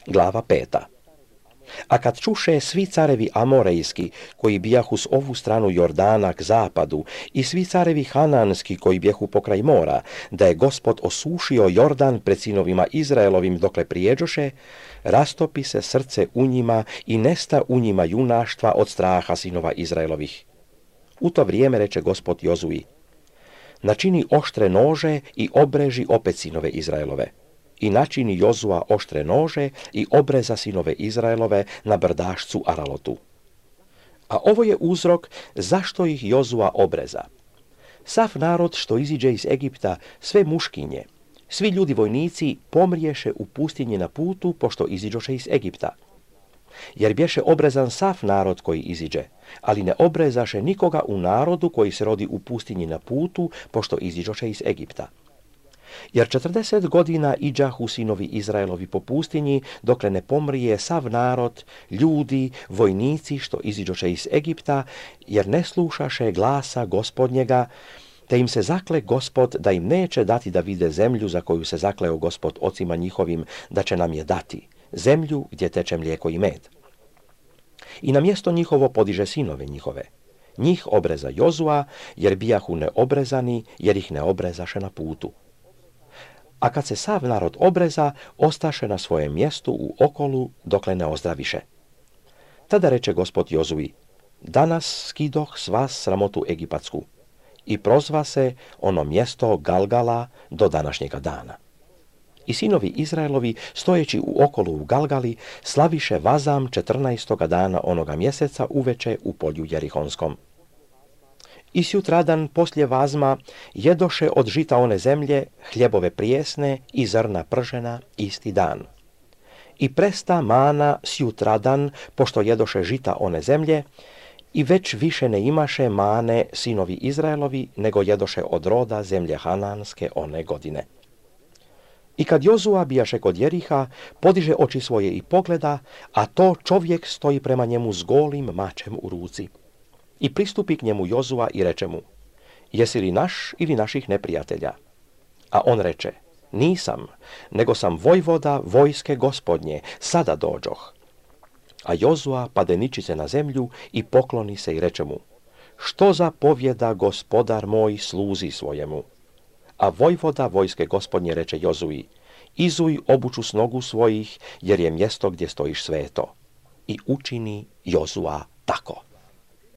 Glava 5. A kad čuše svi carevi Amorejski, koji bijahu s ovu stranu Jordana k zapadu, i svi carevi Hananski, koji bijahu pokraj mora, da je Gospod osušio Jordan pred sinovima Izraelovim dokle prijeđoše, rastopi se srce u njima i nesta u njima junaštva od straha sinova Izraelovih. U to vrijeme reče Gospod Jozuji: načini oštre nože i obreži opet sinove Izraelove. I načini Jozua oštre nože i obreza sinove Izraelove na brdašcu Aralotu. A ovo je uzrok zašto ih Jozua obreza. Sav narod što iziđe iz Egipta, sve muškinje, svi ljudi vojnici pomriješe u pustinji na putu pošto iziđoše iz Egipta. Jer bješe obrezan sav narod koji iziđe, ali ne obrezaše nikoga u narodu koji se rodi u pustinji na putu pošto iziđoše iz Egipta. Jer 40 godina iđahu sinovi Izraelovi po pustinji, dokle ne pomrije sav narod, ljudi, vojnici što iziđoše iz Egipta, jer ne slušaše glasa Gospodnjega, te im se zakle Gospod da im neće dati da vide zemlju za koju se zakleo Gospod ocima njihovim da će nam je dati, zemlju gdje teče mlijeko i med. I na mjesto njihovo podiže sinove njihove. Njih obreza Jozua, jer bijahu neobrezani, jer ih ne obrezaše na putu. A kad se sav narod obreza, ostaše na svojem mjestu u okolu dokle ne ozdraviše. Tada reče Gospod Jozuji: danas skidoh s vas sramotu egipatsku. I prozva se ono mjesto Galgala do današnjega dana. I sinovi Izraelovi, stojeći u okolu u Galgali, slaviše vazam 14. dana onoga mjeseca uveče u polju Jerihonskom. I sutradan poslije vazma jedoše od žita one zemlje hljebove prijesne i zrna pržena isti dan. I presta mana sutradan, pošto jedoše žita one zemlje, i već više ne imaše mane sinovi Izraelovi, nego jedoše od roda zemlje Hananske one godine. I kad Jozua bijaše kod Jeriha, podiže oči svoje i pogleda, a to čovjek stoji prema njemu s golim mačem u ruci. I pristupi k njemu Jozua i reče mu: jesi li naš ili naših neprijatelja? A on reče: nisam, nego sam vojvoda vojske Gospodnje, sada dođoh. A Jozua pade ničice na zemlju i pokloni se i reče mu: što zapovjeda gospodar moj sluzi svojemu? A vojvoda vojske Gospodnje reče Jozuji: izuj obuču s nogu svojih, jer je mjesto gdje stojiš sveto. I učini Jozua tako.